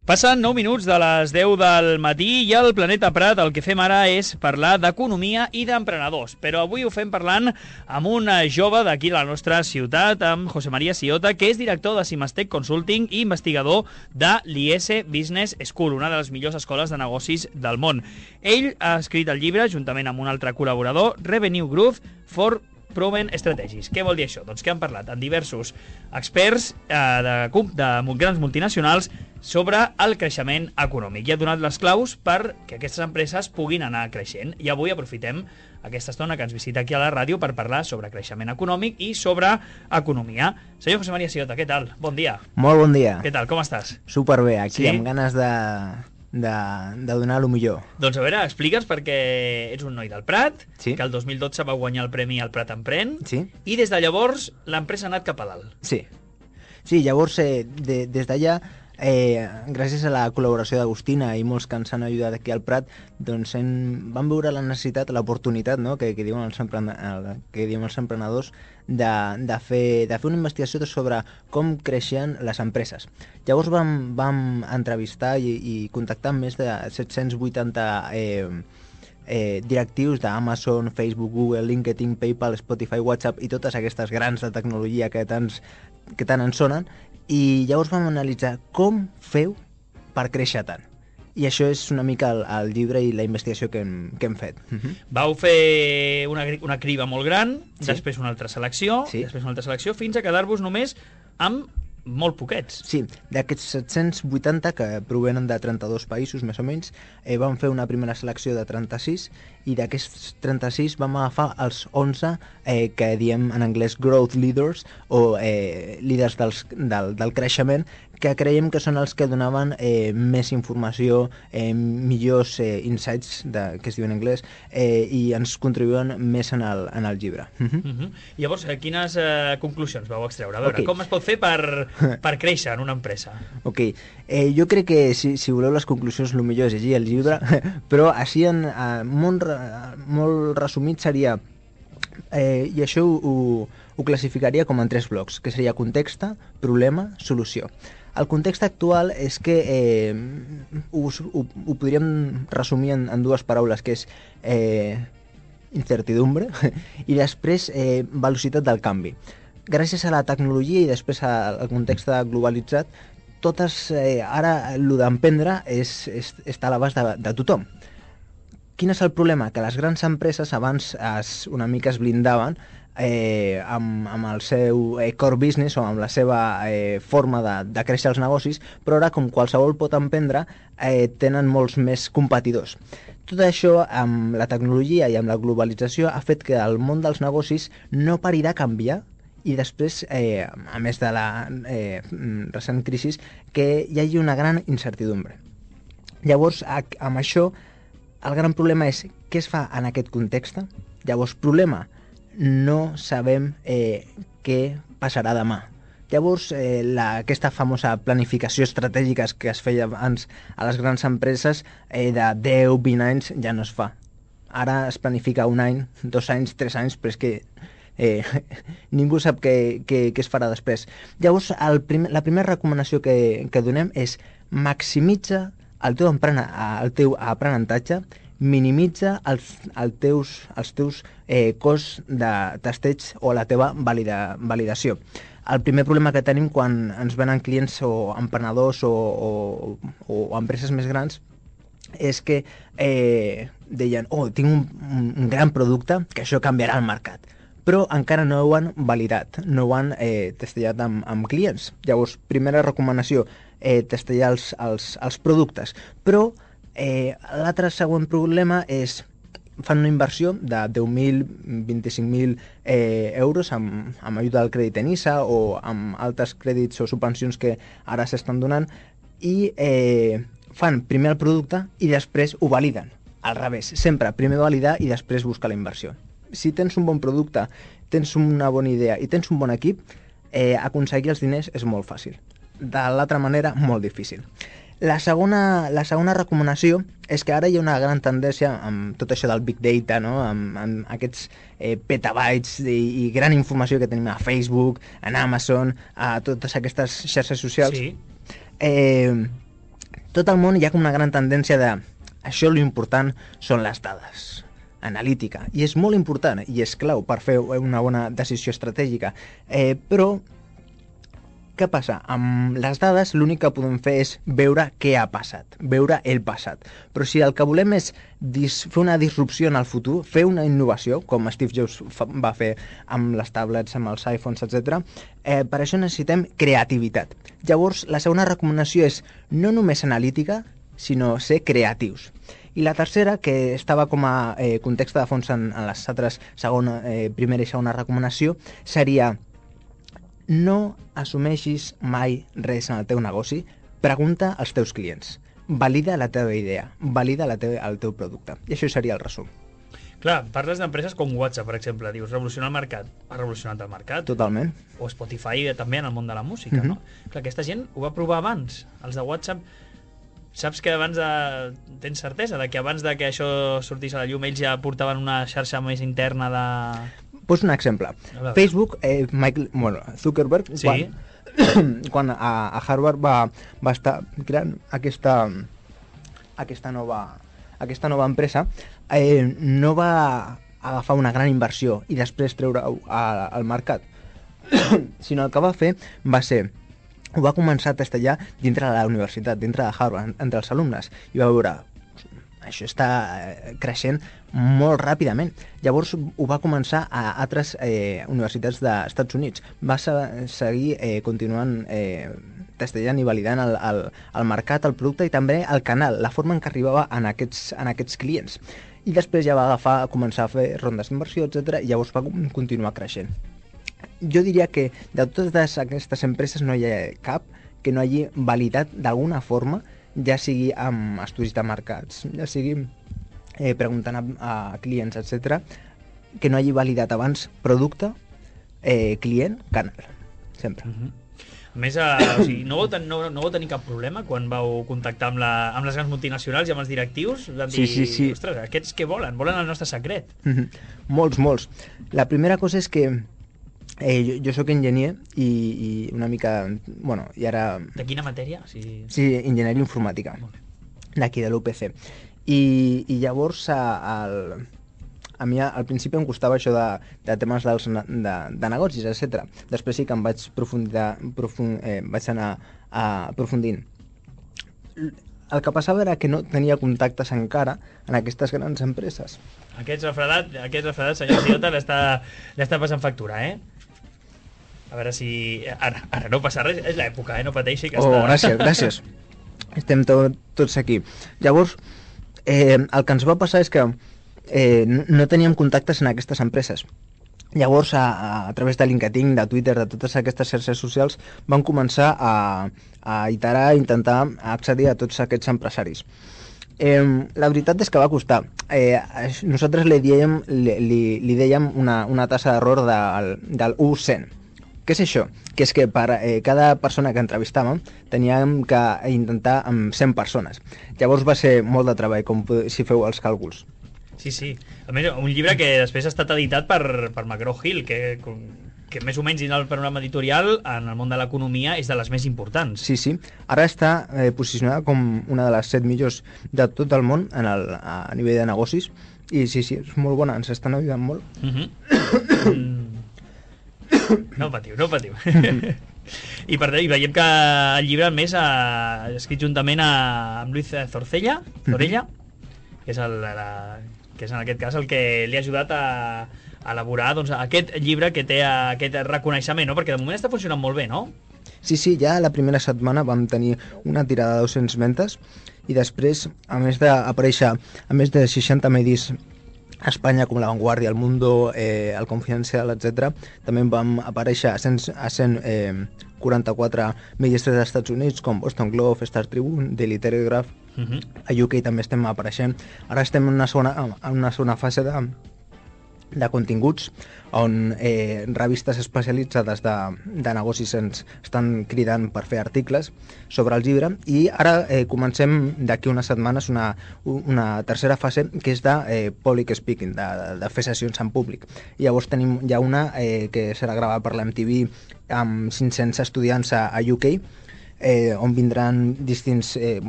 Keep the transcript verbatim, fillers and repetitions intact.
Passen nou minuts de les deu del matí i al Planeta Prat el que fem ara és parlar d'economia i d'emprenedors. Però avui ho fem parlant amb un jove d'aquí de la nostra ciutat, amb José María Siota, que és director de Simastec Consulting i investigador de l'I S Business School, una de les millors escoles de negocis del món. Ell ha escrit el llibre, juntament amb un altre col·laborador, Revenue Growth for Proven Strategies. Què vol dir això? Doncs que han parlat amb diversos experts eh, de, de grans multinacionals sobre el creixement econòmic i ha donat les claus perquè aquestes empreses puguin anar creixent. I avui aprofitem aquesta estona que ens visita aquí a la ràdio per parlar sobre creixement econòmic i sobre economia. Senyor José María Siota, què tal? Bon dia. Molt bon dia. Què tal? Com estàs? Superbé, aquí Sí? amb ganes de, de, de donar el millor. Doncs a veure, explica'ns perquè ets un noi del Prat, Sí. que el dos mil dotze va guanyar el premi al Prat Emprèn, Sí? i des de llavors l'empresa ha anat cap a dalt. Sí. Sí, llavors, eh, de, des d'allà, eh, gràcies a la col·laboració d'Agustina i molts que ens han ajudat aquí al Prat, doncs hem, vam veure la necessitat, l'oportunitat, no?, que, que, diuen els emprena, que diuen els emprenedors, de, de, fer, de fer una investigació sobre com creixien les empreses. Llavors vam, vam entrevistar i, i contactar amb més de set-cents vuitanta eh, eh, directius d'Amazon, Facebook, Google, LinkedIn, PayPal, Spotify, WhatsApp i totes aquestes grans de tecnologia que, tants, que tant en sonen, i llavors vam analitzar com feu per créixer tant. I això és una mica el, el llibre i la investigació que hem, que hem fet. Uh-huh. Vau fer una, una criba molt gran, Sí. després una altra selecció, Sí. després una altra selecció, fins a quedar-vos només amb molt poquets. Sí, d'aquests set-cents vuitanta que provenen de trenta-dos països més o menys, eh, vam fer una primera selecció de trenta-sis i d'aquests trenta-sis vam agafar els onze eh, que diem en anglès growth leaders o eh, líders dels, del, del creixement, que creiem que són els que donaven eh, més informació, eh, millors eh, insights, de, que es diu en anglès, eh, i ens contribuïen més en el, en el llibre. Uh -huh. Uh -huh. Llavors, eh, quines eh, conclusions vau extreure? A veure, Ok. com es pot fer per, per créixer en una empresa? Ok, eh, jo crec que si, si voleu les conclusions el millor és llegir el llibre, però així en, eh, molt, re- molt resumit seria, eh, i això ho, ho, ho classificaria com en tres blocs, que seria context, problema, solució. El context actual és que eh, ho, ho, ho podríem resumir en, en dues paraules, que és eh, incertidumbre i després eh, velocitat del canvi. Gràcies a la tecnologia i després al context globalitzat, totes, eh, ara el d'emprendre és, és, està a l'abast de, de tothom. Quin és el problema? Que les grans empreses abans es, una mica es blindaven eh, amb, amb el seu eh, core business o amb la seva eh, forma de, de créixer els negocis, però ara, com qualsevol pot emprendre, eh, tenen molts més competidors. Tot això, amb la tecnologia i amb la globalització, ha fet que el món dels negocis no pari de canviar i després, eh, a més de la eh, recent crisi, que hi hagi una gran incertidumbre. Llavors, amb això, el gran problema és què es fa en aquest context. Llavors, problema, no sabem eh, què passarà demà. Llavors, eh, la, aquesta famosa planificació estratègica que es feia abans a les grans empreses eh, de deu, vint anys ja no es fa. Ara es planifica un any, dos anys, tres anys, però és que eh, ningú sap què, què, què es farà després. Llavors, el primer, la primera recomanació que, que donem és maximitza el teu, el teu aprenentatge, minimitza els, els teus, els teus eh, costs de testeig o la teva valida, validació. El primer problema que tenim quan ens venen clients o emprenedors o, o, o empreses més grans és que eh, deien, oh, tinc un, un gran producte que això canviarà el mercat, però encara no ho han validat, no ho han eh, testellat amb, amb clients. Llavors, primera recomanació, eh, testellar els, els, els productes, però Eh, l'altre següent problema és fan una inversió de deu mil, vint-i-cinc mil eh, euros amb, amb ajuda del crèdit ENISA o amb altres crèdits o subvencions que ara s'estan donant i eh, fan primer el producte i després ho validen. Al revés, sempre primer validar i després buscar la inversió. Si tens un bon producte, tens una bona idea i tens un bon equip, eh, aconseguir els diners és molt fàcil. De l'altra manera, molt difícil. La segona, la segona recomanació és que ara hi ha una gran tendència amb tot això del Big Data, no? amb, amb aquests eh, petabytes i, i gran informació que tenim a Facebook, en Amazon, a totes aquestes xarxes socials. Sí. Eh, tot el món hi ha com una gran tendència de això l'important són les dades, analítica, i és molt important i és clau per fer una bona decisió estratègica, eh, però què passa? Amb les dades l'únic que podem fer és veure què ha passat, veure el passat. Però si el que volem és dis fer una disrupció en el futur, fer una innovació, com Steve Jobs va fer amb les tablets, amb els iPhones, etcètera, eh, per això necessitem creativitat. Llavors, la segona recomanació és no només analítica, sinó ser creatius. I la tercera, que estava com a eh, context de fons en, en les altres segona, eh, primera i segona recomanació, seria no assumeixis mai res en el teu negoci, pregunta als teus clients, valida la teva idea, valida la teva, el teu producte. I això seria el resum. Clar, parles d'empreses com WhatsApp, per exemple, dius, revolucionar el mercat. Ha revolucionat el mercat. Totalment. O Spotify també en el món de la música, mm-hmm. no? Clar, aquesta gent ho va provar abans. Els de WhatsApp, saps que abans de... Tens certesa de que abans de que això sortís a la llum ells ja portaven una xarxa més interna de... Poso un exemple. Facebook, eh, Michael, bueno, Zuckerberg, sí. quan, quan a, a Harvard va, va estar creant aquesta, aquesta, nova, aquesta nova empresa, eh, no va agafar una gran inversió i després treure-ho al mercat, sinó el que va fer va ser ho va començar a testejar dintre de la universitat, dintre de Harvard, entre els alumnes, i va veure això està creixent molt ràpidament. Llavors ho va començar a altres eh, universitats dels Estats Units. Va seguir eh, continuant eh, testejant i validant el, el, el mercat, el producte i també el canal, la forma en què arribava en aquests, en aquests clients. I després ja va agafar, començar a fer rondes d'inversió, etcètera, i llavors va continuar creixent. Jo diria que de totes aquestes empreses no hi ha cap que no hagi validat d'alguna forma, ja sigui amb estudis de mercats, ja sigui eh, preguntant a, a clients, etcètera, que no hagi validat abans producte, eh, client, canal. Sempre. Uh-huh. A més, eh, o sigui, no, vau ten, no, no vau tenir cap problema quan vau contactar amb, la, amb les grans multinacionals i amb els directius? Van dir, sí, sí, sí. Ostres, aquests què volen? Volen el nostre secret. Uh-huh. Molts, molts. La primera cosa és que Eh, jo, jo sóc enginyer i, i una mica, bueno, i ara... De quina matèria? Si... Sí, enginyeria informàtica, d'aquí de l'U P C. I, i llavors a, a, a mi al principi em costava això de, de temes dels, de, de negocis, etcètera. Després sí que em vaig profundir, profund, eh, vaig anar a, aprofundint. El que passava era que no tenia contactes encara en aquestes grans empreses. Aquest refredat, aquest refredat senyor Ciota, l'està passant factura, eh? A veure si... Ara, ara no passa res, és l'època, eh? No pateixi que oh, està... Oh, gràcies, gràcies. Estem to tots aquí. Llavors, eh, el que ens va passar és que eh, no teníem contactes en aquestes empreses. Llavors, a, a través de LinkedIn, de Twitter, de totes aquestes xarxes socials, vam començar a, a iterar, a intentar accedir a tots aquests empresaris. Eh, la veritat és que va costar. Eh, nosaltres li dèiem, li, li, li dèiem una, una tassa d'error del, del u cent. Què és això? Que és que per eh, cada persona que entrevistàvem teníem que intentar amb cent persones. Llavors va ser molt de treball, com si feu els càlculs. Sí, sí. A més, un llibre que després ha estat editat per, per McGraw-Hill, que, que més o menys dins el panorama editorial en el món de l'economia és de les més importants. Sí, sí. Ara està eh, posicionada com una de les set millors de tot el món en el, a nivell de negocis. I sí, sí, és molt bona, ens estan ajudant molt. Uh-huh. mm. No patiu, no patiu. I per tant, veiem que el llibre, a més, ha escrit juntament a, amb Luis Zorcella, Zorella, que és, el, la, que és en aquest cas el que li ha ajudat a, a elaborar doncs, aquest llibre que té aquest reconeixement, no? Perquè de moment està funcionant molt bé, no? Sí, sí, ja la primera setmana vam tenir una tirada de dos-cents ventes i després, a més d'aparèixer a més de seixanta medis a Espanya com La Vanguardia, El Mundo, eh, El Confidencial, etcètera. També vam aparèixer a cent, a cent quaranta-quatre medis dels Estats Units com Boston Globe, Star Tribune, Daily Telegraph. Uh-huh. A U K també estem apareixent. Ara estem en una segona, en una segona fase de, de continguts on eh, revistes especialitzades de, de negocis ens estan cridant per fer articles sobre el llibre i ara eh, comencem d'aquí unes setmanes una, una tercera fase que és de eh, public speaking, de, de fer sessions en públic. I llavors tenim ja una eh, que serà gravada per l'M T V amb cinc-cents estudiants a, a U K, eh, on vindran distints... Eh,